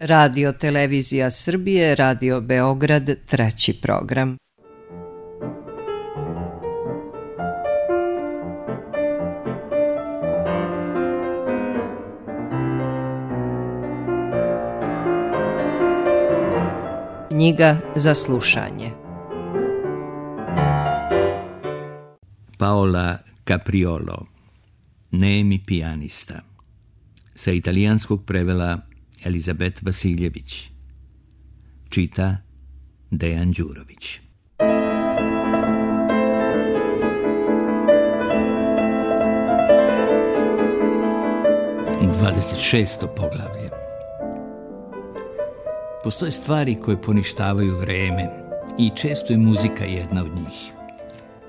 Radio Televizija Srbije, Radio Beograd, treći program. Knjiga za slušanje. Paola Capriolo, Nemi pijanista. Sa italijanskog prevela Elizabet Vasiljević. Čita Dejan Đurović. 26. poglavlje. Postoje stvari koje poništavaju vreme i često je muzika jedna od njih.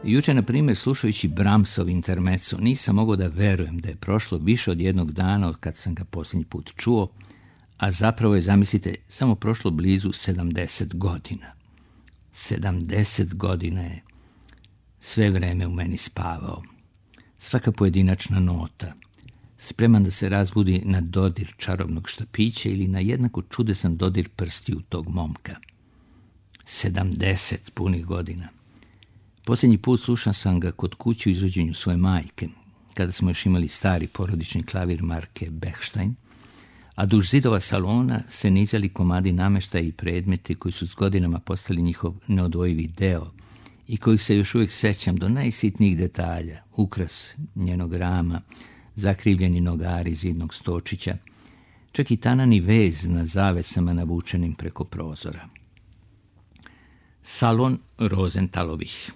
Juče, na primjer, slušajući Brahmsov intermezzo, nisam mogao da verujem da je prošlo više od jednog dana od kad sam ga posljednji put čuo, a zapravo je, zamislite, samo prošlo blizu 70 godina. 70 godina je sve vreme u meni spavao. Svaka pojedinačna nota, spreman da se razbudi na dodir čarobnog štapića ili na jednako čudesan dodir prstiju tog momka. 70 punih godina. Posljednji put slušao sam ga kod kuće u izvođenju svoje majke, kada smo još imali stari porodični klavir marke Bechstein, a duž zidova salona se nizali komadi namještaja i predmeti koji su s godinama postali njihov neodvojivi deo i kojih se još uvijek sećam do najsitnijih detalja, ukras njenog rama, zakrivljeni nogari zidnog stočića, čak i tanani vez na zavesama navučenim preko prozora. Salon Rosenthalovih.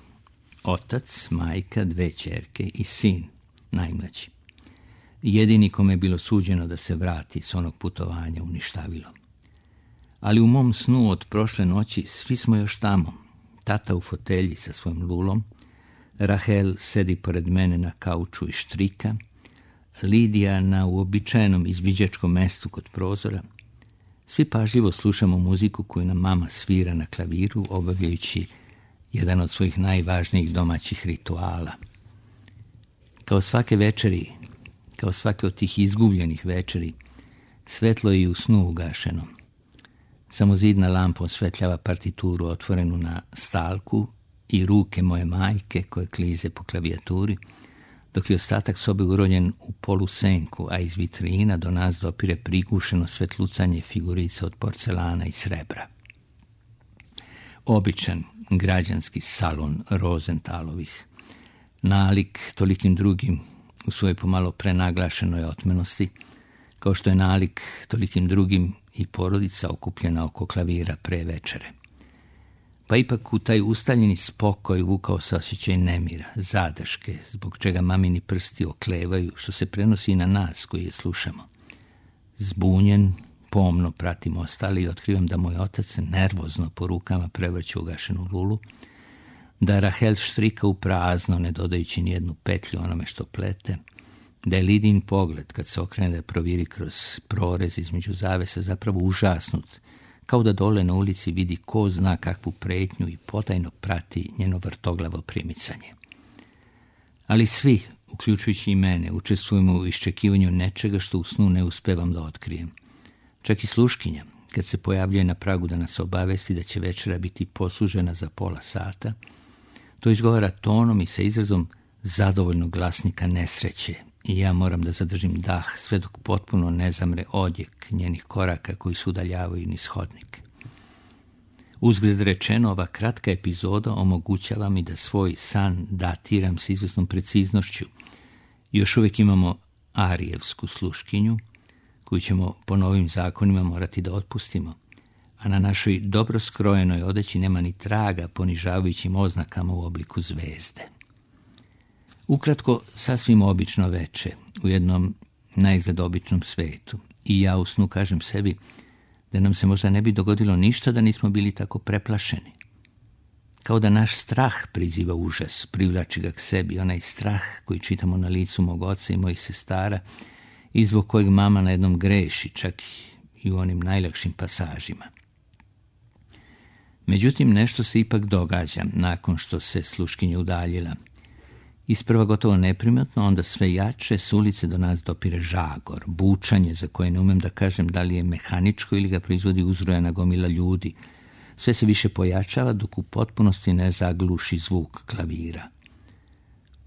Otac, majka, 2 ćerke i sin, najmlađi. Jedini kome je bilo suđeno da se vrati s onog putovanja u ništavilo. Ali u mom snu od prošle noći svi smo još tamo. Tata u fotelji sa svojim lulom, Rahel sedi pored mene na kauču i štrika, Lidija na uobičajenom izviđačkom mestu kod prozora. Svi pažljivo slušamo muziku koju nam mama svira na klaviru, obavljajući jedan od svojih najvažnijih domaćih rituala. Kao svake večeri, kao svake od tih izgubljenih večeri, svetlo je i u snu ugašeno. Samo zidna lampa osvetljava partituru otvorenu na stalku i ruke moje majke koje klize po klavijaturi, dok je ostatak sobe uronjen u polusenku, a iz vitrina do nas dopire prigušeno svetlucanje figurica od porcelana i srebra. Običan građanski salon Rosenthalovih, nalik tolikim drugim u svojoj pomalo prenaglašenoj otmenosti, kao što je nalik tolikim drugim i porodica okupljena oko klavira pre večere. Pa ipak u taj ustaljeni spokoj vukao se osjećaj nemira, zadrške, zbog čega mamini prsti oklevaju, što se prenosi i na nas koji je slušamo. Zbunjen, pomno pratim ostali i otkrivam da moj otac se nervozno po rukama prevrće ugašenu lulu, da Rahel štrika u prazno, ne dodajući nijednu petlju onome što plete, da je Lidin pogled, kad se okrene da proviri kroz prorez između zavesa, zapravo užasnut, kao da dole na ulici vidi ko zna kakvu pretnju i potajno prati njeno vrtoglavo primicanje. Ali svi, uključujući i mene, učestvujemo u iščekivanju nečega što u snu ne uspevam da otkrijem. Čak i sluškinja, kad se pojavljuje na pragu da nas obavesti da će večera biti poslužena za pola sata, to izgovara tonom i sa izrazom zadovoljnog glasnika nesreće i ja moram da zadržim dah sve dok potpuno ne zamre odjek njenih koraka koji se udaljavaju niz hodnik. Uzgled rečeno, ova kratka epizoda omogućava mi da svoj san datiram s izvesnom preciznošću. Još uvijek imamo arijevsku sluškinju, koju ćemo po novim zakonima morati da otpustimo, a na našoj dobro skrojenoj odeći nema ni traga ponižavajućim oznakama u obliku zvezde. Ukratko, sasvim obično veče, u jednom najizgled običnom svetu, i ja u snu kažem sebi da nam se možda ne bi dogodilo ništa da nismo bili tako preplašeni. Kao da naš strah priziva užas, privlači ga k sebi, onaj strah koji čitamo na licu mog oca i mojih sestara, i zbog kojeg mama na jednom greši, čak i u onim najlakšim pasažima. Međutim, nešto se ipak događa nakon što se sluškinja udaljila. Isprva gotovo neprimetno, onda sve jače s ulice do nas dopire žagor, bučanje za koje ne umem da kažem da li je mehaničko ili ga proizvodi uzrojana gomila ljudi. Sve se više pojačava dok u potpunosti ne zagluši zvuk klavira.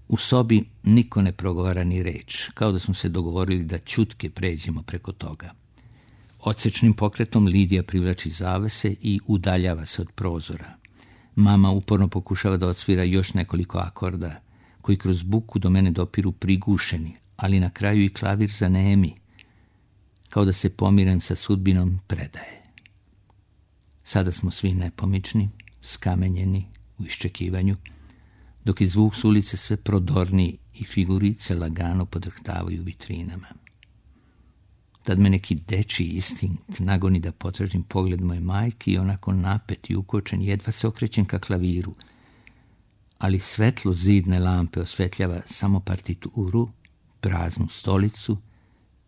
U sobi niko ne progovara ni reč, kao da smo se dogovorili da ćutke pređemo preko toga. Odsečnim pokretom Lidija privlači zavese i udaljava se od prozora. Mama uporno pokušava da odsvira još nekoliko akorda, koji kroz buku do mene dopiru prigušeni, ali na kraju i klavir zanemi, kao da se pomiren sa sudbinom predaje. Sada smo svi nepomični, skamenjeni u iščekivanju, dok je zvuk s ulice sve prodorniji i figurice lagano podrhtavaju vitrinama. Tad me neki dečiji instinkt nagoni da potražim pogled moje majke i onako napet i ukočen jedva se okrećem ka klaviru, ali svetlo zidne lampe osvetljava samo partituru, praznu stolicu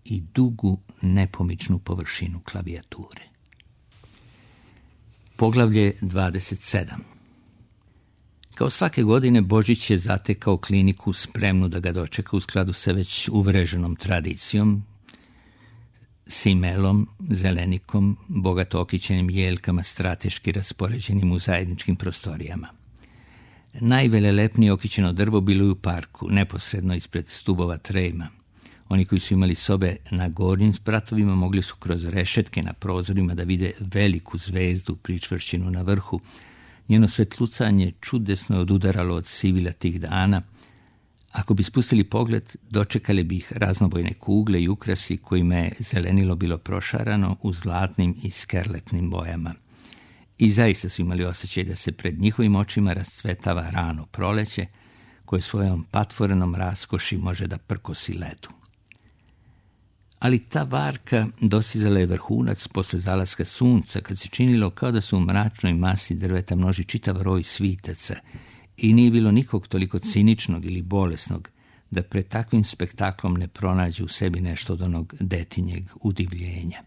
i dugu nepomičnu površinu klavijature. Poglavlje 27. Kao svake godine, Božić je zatekao kliniku spremnu da ga dočeka u skladu sa već uvreženom tradicijom, simelom, zelenikom, bogato okićenim jeljkama strateški raspoređenim u zajedničkim prostorijama. Najvelelepnije okićeno drvo bilo je u parku, neposredno ispred stubova trema. Oni koji su imali sobe na gornjim spratovima mogli su kroz rešetke na prozorima da vide veliku zvezdu pričvršćenu na vrhu. Njeno svetlucanje čudesno je odudaralo od sivila tih dana. Ako bi spustili pogled, dočekali bi ih raznobojne kugle i ukrasi kojima je zelenilo bilo prošarano u zlatnim i skerletnim bojama. I zaista su imali osjećaj da se pred njihovim očima rascvetava rano proleće, koje svojom patvorenom raskoši može da prkosi ledu. Ali ta varka dostizala je vrhunac posle zalaska sunca, kad se činilo kao da se u mračnoj masi drveta množi čitav roj svitaca i nije bilo nikog toliko ciničnog ili bolesnog da pred takvim spektaklom ne pronađe u sebi nešto od onog detinjeg udivljenja.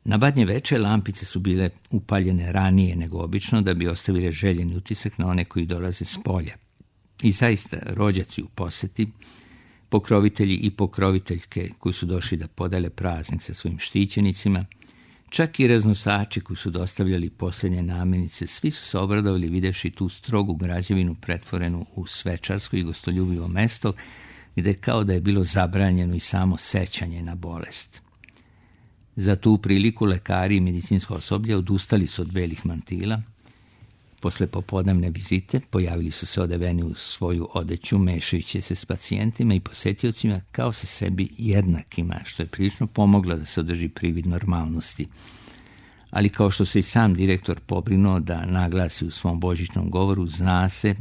Na badnje veče lampice su bile upaljene ranije nego obično da bi ostavile željeni utisak na one koji dolaze s polja. I zaista, rođaci u poseti, pokrovitelji i pokroviteljke koji su došli da podele praznik sa svojim štićenicima, čak i raznosači koji su dostavljali posljednje namirnice, svi su se obradovali videvši tu strogu građevinu pretvorenu u svečarsko i gostoljubivo mesto, gde kao da je bilo zabranjeno i samo sećanje na bolest. Za tu priliku lekari i medicinsko osoblje odustali su od belih mantila. Posle popodnevne vizite pojavili su se odeveni u svoju odeću, mešajući se s pacijentima i posetiocima kao sa sebi jednakima, što je prilično pomoglo da se održi privid normalnosti. Ali kao što se i sam direktor pobrinuo da naglasi u svom božićnom govoru, zna se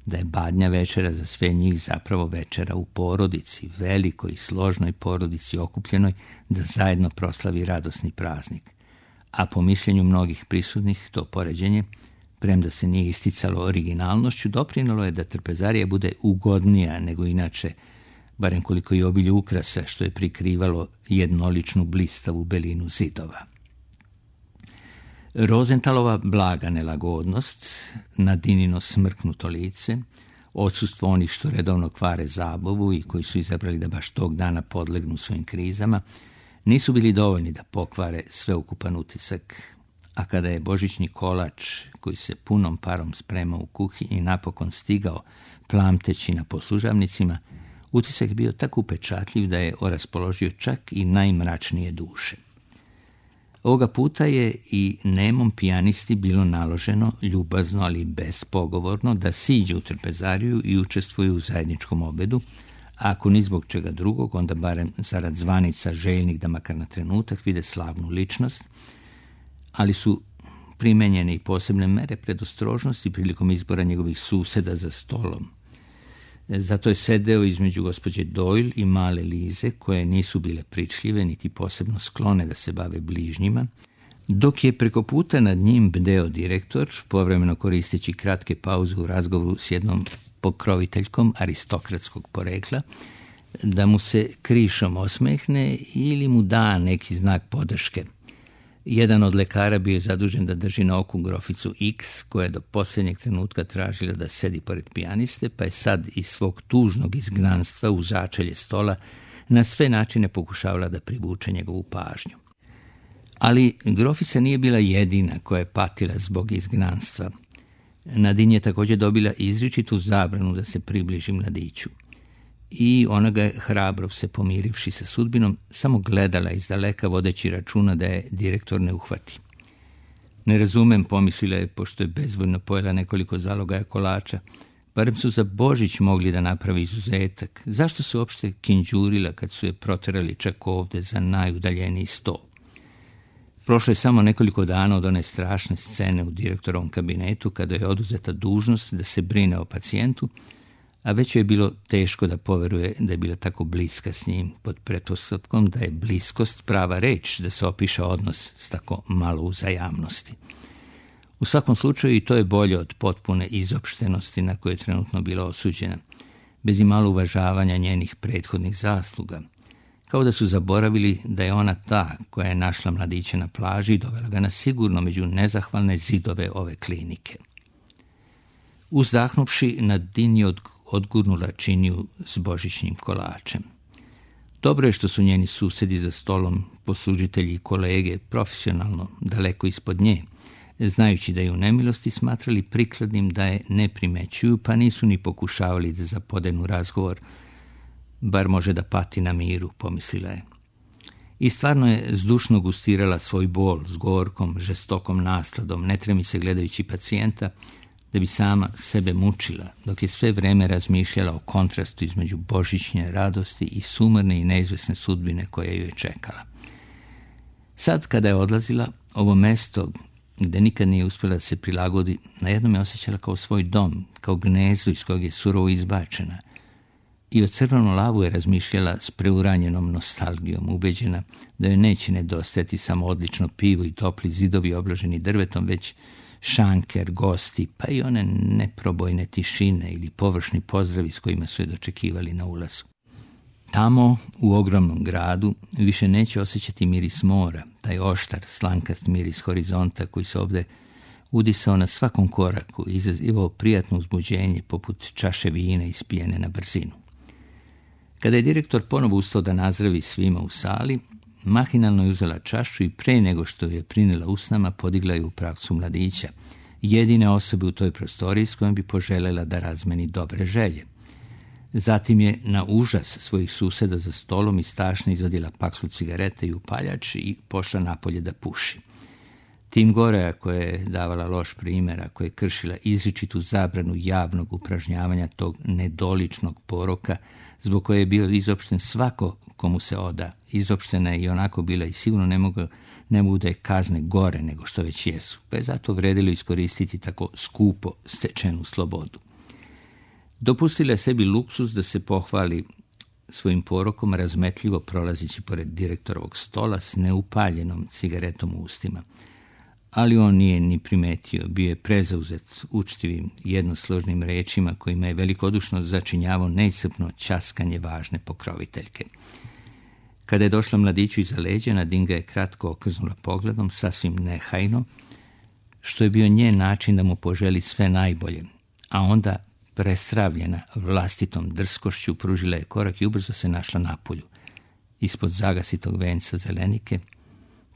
da je badnja večera za sve njih zapravo večera u porodici, velikoj i složnoj porodici okupljenoj da zajedno proslavi radosni praznik. A po mišljenju mnogih prisutnih to poređenje, premda se nije isticalo originalnošću, doprinalo je da trpezarija bude ugodnija nego inače, barem koliko i obilje ukrasa što je prikrivalo jednoličnu blistavu belinu zidova. Rozentalova blaga nelagodnost, Nadinino smrknuto lice, odsustvo onih što redovno kvare zabavu i koji su izabrali da baš tog dana podlegnu svojim krizama, nisu bili dovoljni da pokvare sveukupan utisak. A kada je božićni kolač, koji se punom parom spremao u kuhinji, napokon stigao plamteći na poslužavnicima, utisak je bio tako upečatljiv da je oraspoložio čak i najmračnije duše. Ovoga puta je i nemom pijanisti bilo naloženo, ljubazno ali bespogovorno, da siđe u trpezariju i učestvuje u zajedničkom obedu, a ako ni zbog čega drugog, onda barem zarad zvanica željnih da makar na trenutak vide slavnu ličnost, ali su primenjene i posebne mere predostrožnosti prilikom izbora njegovih suseda za stolom. Zato je sedeo između gospođe Doyle i male Lize, koje nisu bile pričljive niti posebno sklone da se bave bližnjima, dok je preko puta nad njim bdeo direktor, povremeno koristeći kratke pauze u razgovoru s jednom pokroviteljkom aristokratskog porekla, da mu se krišom osmehne ili mu da neki znak podrške. Jedan od lekara bio je zadužen da drži na oku groficu X, koja je do posljednjeg trenutka tražila da sedi pored pijaniste, pa je sad iz svog tužnog izgnanstva u začelje stola na sve načine pokušavala da privuče njegovu pažnju. Ali grofica nije bila jedina koja je patila zbog izgnanstva. Nadin je također dobila izričitu zabranu da se približi mladiću. I ona ga je, hrabro se pomirivši sa sudbinom, samo gledala izdaleka vodeći računa da je direktor ne uhvati. Ne razumem, pomislila je, pošto je bezvoljno pojela nekoliko zalogaja kolača. Barem su za Božić mogli da napravi izuzetak. Zašto se uopšte kinđurila kad su je proterali čak ovde za najudaljeniji sto? Prošlo je samo nekoliko dana od one strašne scene u direktorovom kabinetu kada je oduzeta dužnost da se brine o pacijentu, a već je bilo teško da poveruje da je bila tako bliska s njim, pod pretpostavkom da je bliskost prava reč da se opiše odnos s tako malo uzajamnosti. U svakom slučaju i to je bolje od potpune izopštenosti na koju je trenutno bila osuđena, bez imalo uvažavanja njenih prethodnih zasluga, kao da su zaboravili da je ona ta koja je našla mladića na plaži i dovela ga na sigurno među nezahvalne zidove ove klinike. Uzdahnuvši, Nadin je odgurnula činiju s božićnim kolačem. Dobro je što su njeni susedi za stolom, poslužitelji i kolege, profesionalno daleko ispod nje, znajući da je u nemilosti smatrali prikladnim da je ne primećuju, pa nisu ni pokušavali da zapodenu razgovor, bar može da pati na miru, pomislila je. I stvarno je zdušno gustirala svoj bol s gorkom, žestokom nasladom, ne tremi se gledajući pacijenta, da bi sama sebe mučila, dok je sve vreme razmišljala o kontrastu između božićnje radosti i sumrne i neizvesne sudbine koja ju je čekala. Sad, kada je odlazila, ovo mesto, gde nikad nije uspjela da se prilagodi, na jednom je osjećala kao svoj dom, kao gnezdo iz kojeg je surovo izbačena. I o crvenom lavu je razmišljala s preuranjenom nostalgijom, ubeđena da joj neće nedostajati samo odlično pivo i topli zidovi obloženi drvetom, već šanker, gosti, pa i one neprobojne tišine ili površni pozdravi s kojima su je dočekivali na ulazu. Tamo, u ogromnom gradu, više neće osjećati miris mora, taj oštar, slankast miris horizonta koji se ovdje udisao na svakom koraku i izazivao prijatno uzbuđenje poput čaše vina ispijene na brzinu. Kada je direktor ponovo ustao da nazdravi svima u sali, mahinalno je uzela čašu i pre nego što je prinela usnama podigla je u pravcu mladića, jedine osobe u toj prostoriji s kojom bi poželjela da razmeni dobre želje. Zatim je na užas svojih suseda za stolom iz tašne izvadila paklu cigarete i upaljač i pošla napolje da puši. Tim gore, ako je davala loš primjer, ako je kršila izričitu zabranu javnog upražnjavanja tog nedoličnog poroka, zbog koje je bio izopšten svako komu se oda. Izopštena je i onako bila i sigurno ne mogu da je kazne gore nego što već jesu, pa je zato vredilo iskoristiti tako skupo stečenu slobodu. Dopustila je sebi luksuz da se pohvali svojim porokom, razmetljivo prolazići pored direktorovog stola s neupaljenom cigaretom u ustima. Ali on nije ni primetio, bio je prezauzet učtivim jednosložnim rečima kojima je velikodušno začinjavao neiscrpno ćaskanje važne pokroviteljke. Kada je došla mladiću iza leđa, Nadin ga je kratko okrznula pogledom, sasvim nehajno, što je bio njen način da mu poželi sve najbolje, a onda, prestravljena vlastitom drskošću, pružila je korak i ubrzo se našla napolju. Ispod zagasitog venca zelenike,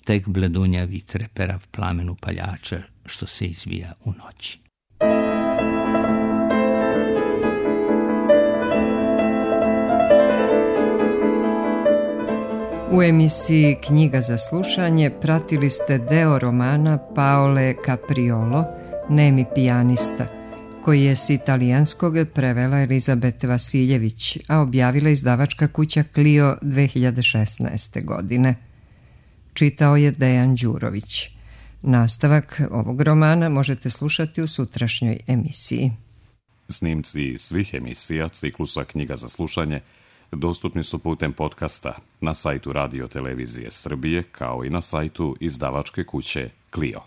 tek bledunjavi treperav plamen upaljača što se izvija u noći. U emisiji Knjiga za slušanje pratili ste deo romana Paole Capriolo, Nemi pijanista, koji je s italijanskog prevela Elizabet Vasiljević, a objavila izdavačka kuća Clio 2016. godine. Čitao je Dejan Đurović. Nastavak ovog romana možete slušati u sutrašnjoj emisiji. Snimci svih emisija ciklusa Knjiga za slušanje dostupni su putem podcasta na sajtu Radio Televizije Srbije kao i na sajtu izdavačke kuće Clio.